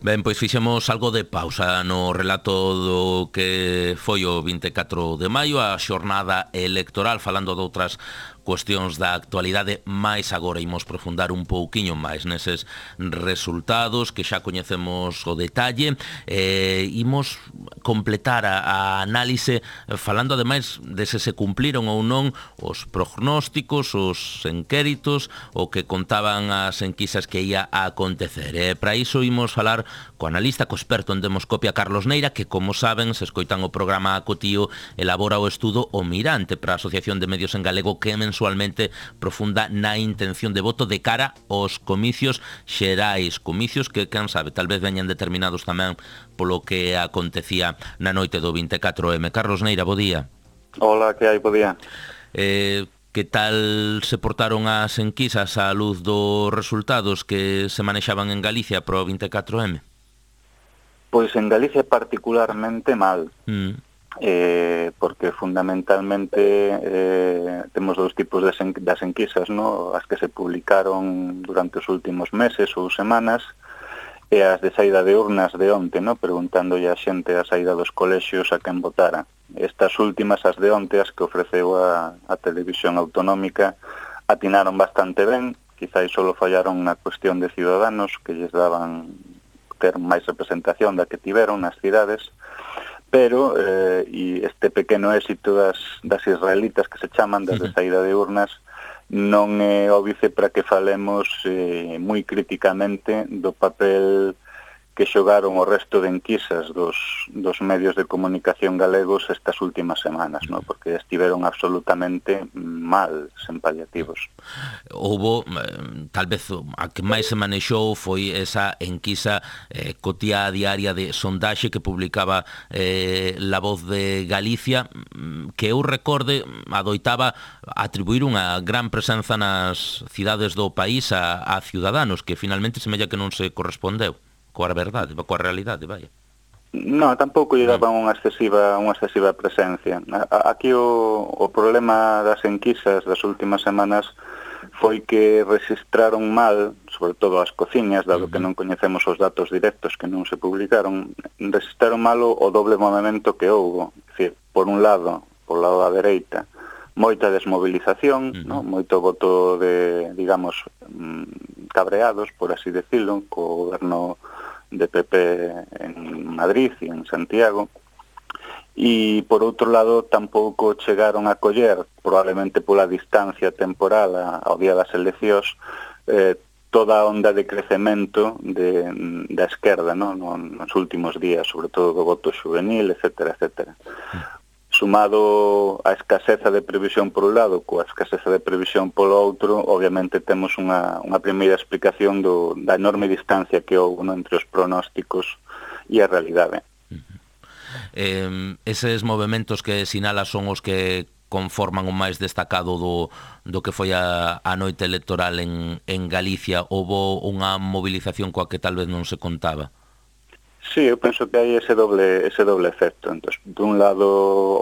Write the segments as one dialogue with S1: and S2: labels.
S1: Ben, pois fixemos algo de pausa no relato do que foi o 24 de maio, a xornada electoral, falando de outras cuestións da actualidade, máis agora imos profundar un pouquiño máis neses resultados que xa coñecemos o detalle, imos completar a análise falando ademais de se cumpliron ou non os prognósticos, os enquéritos, o que contaban as enquisas que ia a acontecer. Para iso imos falar co analista, co experto en demoscopia Carlos Neira, que, como saben, se escoitan o programa Acotío, elabora o estudo O Mirante para a Asociación de Medios en Galego, que mensualmente profunda na intención de voto de cara aos comicios xerais, comicios que, quen sabe, tal vez veñan determinados tamén polo que acontecía na noite do 24M. Carlos Neira, bo día.
S2: Hola, que hai, bo día.
S1: Que tal se portaron as enquisas á luz dos resultados que se manexaban en Galicia pro 24M?
S2: Pois en Galicia particularmente mal, porque fundamentalmente temos dous tipos das enquisas, no? As que se publicaron durante os últimos meses ou semanas, e as de saída de urnas de onte, no? Preguntándolle a xente a saída dos colexios a quen votara. Estas últimas, as de onte, as que ofreceu a televisión autonómica, atinaron bastante ben, quizás solo fallaron na cuestión de Ciudadanos, que lles daban ter máis representación da que tiveron nas cidades, pero e este pequeno éxito das israelitas que se chaman, das de saída de urnas, non é óbice para que falemos moi críticamente do papel que xogaron o resto de enquisas dos medios de comunicación galegos estas últimas semanas, ¿no? Porque estiveron absolutamente mal, sen paliativos.
S1: Houbo, tal vez, a que máis se manexou foi esa enquisa cotía diaria de sondaxe que publicaba La Voz de Galicia, que eu recorde adoitaba atribuir unha gran presenza nas cidades do país a Ciudadanos, que finalmente semella que non se correspondeu coa verdade, coa realidade, vaya.
S2: No, tampouco lle daban unha excesiva presencia. Aquí o problema das enquisas das últimas semanas foi que registraron mal, sobre todo as cociñas, dado que non coñecemos os datos directos que non se publicaron, registraron mal o doble movimento que houbo. É dicir, por un lado, por lado da dereita, moita desmovilización, ¿no? Moito voto de, digamos, cabreados, por así decirlo, co goberno de PP en Madrid e en Santiago, e por outro lado tampouco chegaron a coller, probablemente pola distancia temporal ao día das eleccións, toda a onda de crecemento da esquerda, ¿no? Nos últimos días, sobre todo do voto juvenil, etcétera, etcétera. Sumado a escaseza de previsión por un lado, coa escaseza de previsión polo outro, obviamente temos unha primeira explicación da enorme distancia que houve, ¿no? Entre os pronósticos e a realidade.
S1: Eses movementos que sinala son os que conforman o máis destacado do que foi a noite electoral en Galicia. Houbo unha movilización coa que tal vez non se contaba?
S2: Sí, eu penso que hai ese doble efecto. Entón, dun lado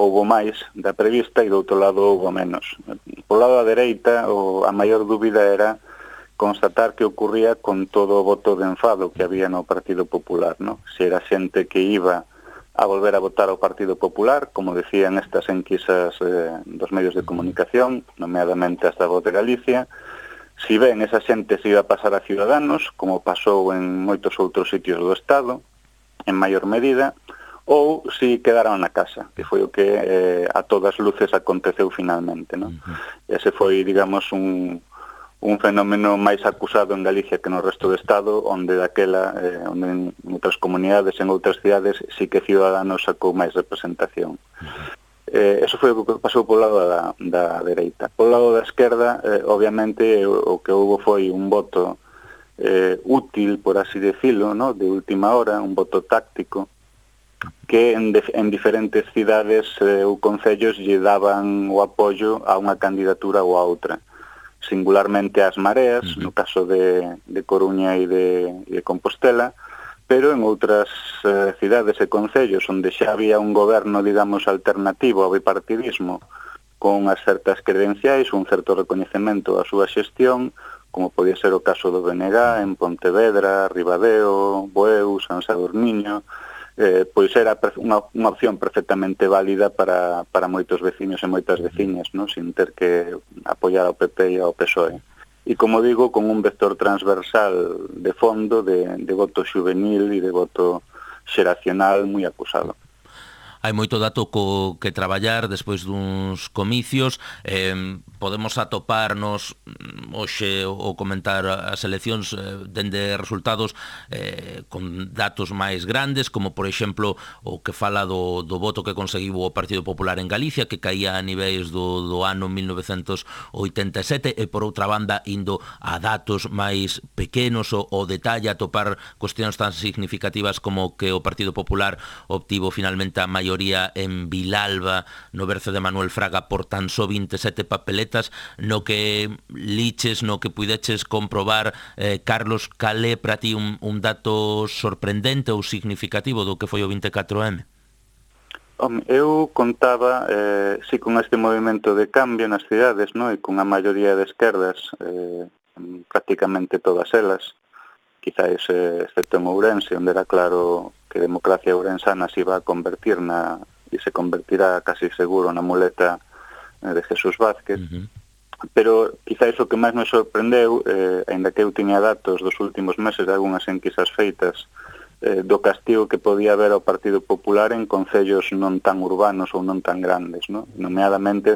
S2: houbo máis da prevista e do outro lado houbo menos. Por lado da dereita, a maior dúbida era constatar que ocurría con todo o voto de enfado que había no Partido Popular, ¿no? Se era xente que iba a volver a votar ao Partido Popular, como decían estas enquisas dos medios de comunicación, nomeadamente as da Voz de Galicia. Si ben esa xente se iba a pasar a Ciudadanos, como pasou en moitos outros sitios do Estado, en maior medida, ou si quedaron na casa, que foi o que a todas luces aconteceu finalmente, ¿no? Ese foi, digamos, un fenómeno máis acusado en Galicia que no resto do Estado, onde daquela, onde en outras comunidades, en outras cidades, sí que Ciudadanos sacou máis representación. Eso foi o que pasou polo lado da dereita. Polo lado da esquerda, obviamente, o que houve foi un voto útil, por así decirlo, ¿no? De última hora, un voto táctico, que en diferentes cidades ou concellos lle daban o apoio a unha candidatura ou a outra. Singularmente ás Mareas, no caso de Coruña e de Compostela, pero en outras cidades e concellos onde xa había un goberno, digamos, alternativo ao bipartidismo, con as certas credenciais, un certo recoñecemento á súa xestión, como podía ser o caso do BNG en Pontevedra, Ribadeo, Bueu, San Sadurniño, pois era unha opción perfectamente válida para moitos veciños e moitas veciñas, ¿no? Sin ter que apoiar ao PP e ao PSOE. E, como digo, con un vector transversal de fondo de voto juvenil e de voto xeracional moi acusado.
S1: Hai moito dato co que traballar despois duns comicios. Podemos atoparnos hoxe ou comentar as eleccións dende resultados con datos máis grandes, como por exemplo o que fala do voto que conseguiu o Partido Popular en Galicia, que caía a niveis do ano 1987, e por outra banda indo a datos máis pequenos, o detalle, atopar cuestións tan significativas como que o Partido Popular obtivo finalmente a maioría en Vilalba, no berce de Manuel Fraga, por tan só 27 papeletas. No que liches, no que puideches comprobar, Carlos, cal é para ti un dato sorprendente ou significativo do que foi o 24M?
S2: Eu contaba, si, con este movimento de cambio nas cidades, no? E con a maioría de esquerdas, prácticamente todas elas, quizás excepto en Ourense, onde era claro que Democracia Ourensana se iba a convertir e se convertirá casi seguro na muleta de Jesús Vázquez. Pero quizás o que máis nos sorprendeu, aínda que eu tiña datos dos últimos meses de algunhas enquisas feitas, do castigo que podía haber ao Partido Popular en concellos non tan urbanos ou non tan grandes, ¿no? Nomeadamente,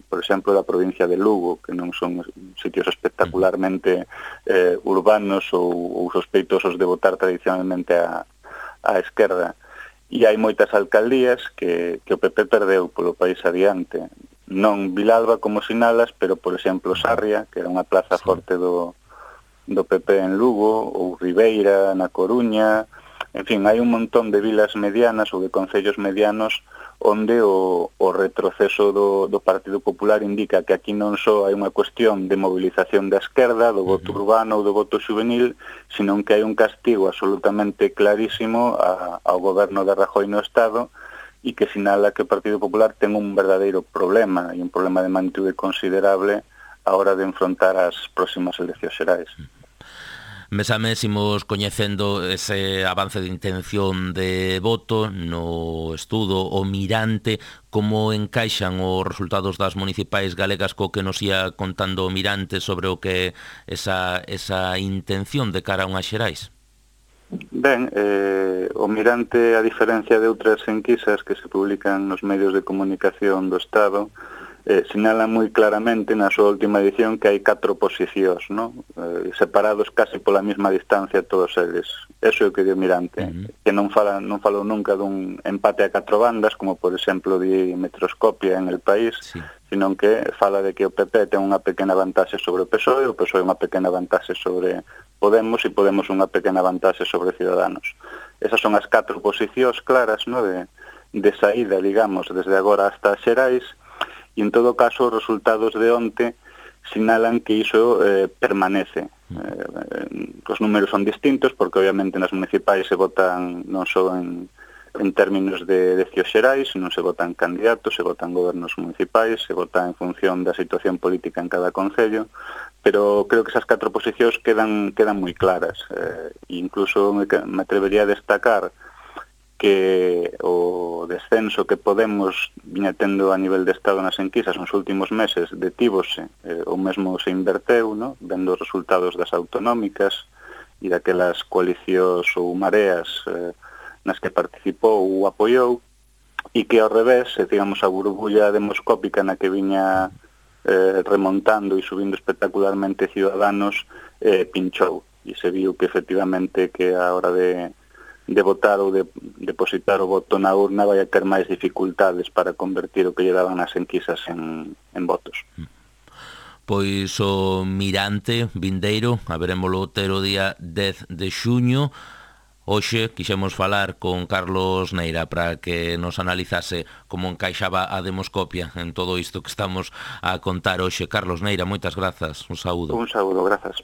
S2: por exemplo, da provincia de Lugo, que non son sitios espectacularmente urbanos ou sospeitosos de votar tradicionalmente a esquerda. E hai moitas alcaldías que o PP perdeu polo país adiante. Non Vilalba, como sinalas, pero, por exemplo, Sarria, que era unha plaza forte do PP en Lugo, ou Ribeira, na Coruña. En fin, hai un montón de vilas medianas ou de concellos medianos onde o retroceso do Partido Popular indica que aquí non só hai unha cuestión de movilización da esquerda, do voto urbano ou do voto juvenil, senón que hai un castigo absolutamente clarísimo ao goberno de Rajoy no Estado, e que sinala que o Partido Popular ten un verdadeiro problema, e un problema de magnitude considerable a hora de enfrontar as próximas eleccións xerais.
S1: Mes a mes imos coñecendo ese avance de intención de voto no estudo O Mirante. Como encaixan os resultados das municipais galegas co que nos ia contando o Mirante sobre o que esa intención de cara a unhas xerais?
S2: Ben, o Mirante, a diferencia de outras enquisas que se publican nos medios de comunicación do Estado, sinala moi claramente na súa última edición que hai 4 posicións, ¿no? Separados casi pola mesma distancia todos eles. Eso é o que dio Mirante, que non falou nunca dun empate a 4 bandas, como por exemplo di Metroscopia en El País, sino que fala de que o PP ten unha pequena vantaxe sobre o PSOE, o PSOE unha pequena vantaxe sobre Podemos e Podemos unha pequena vantaxe sobre Ciudadanos. Esas son as 4 posicións claras, ¿no? de saída, digamos, desde agora hasta as xerais. E, en todo caso, os resultados de onte sinalan que iso permanece. Os números son distintos, porque obviamente nas municipais se votan non só en términos de eleccións xerais, non se votan candidatos, se votan gobernos municipais, se vota en función da situación política en cada concello, pero creo que esas 4 posicións quedan moi claras. Incluso me atrevería a destacar que o descenso que Podemos viña tendo a nivel de Estado nas enquisas nos últimos meses detívose, ou mesmo se inverteu, ¿no? Vendo os resultados das autonómicas e daquelas coalicións ou mareas nas que participou ou apoiou, e que ao revés, digamos, a burbulla demoscópica na que viña remontando e subindo espectacularmente Ciudadanos pinchou, e se viu que efectivamente que a hora de votar ou de depositar o voto na urna vai a ter máis dificultades para convertir o que lle daban as enquisas en votos.
S1: Pois o Mirante vindeiro, haberémolo ter o día 10 de xuño. Hoxe quixemos falar con Carlos Neira para que nos analizase como encaixaba a Demoscopia en todo isto que estamos a contar hoxe. Carlos Neira, moitas grazas, un saúdo.
S2: Un saúdo, grazas.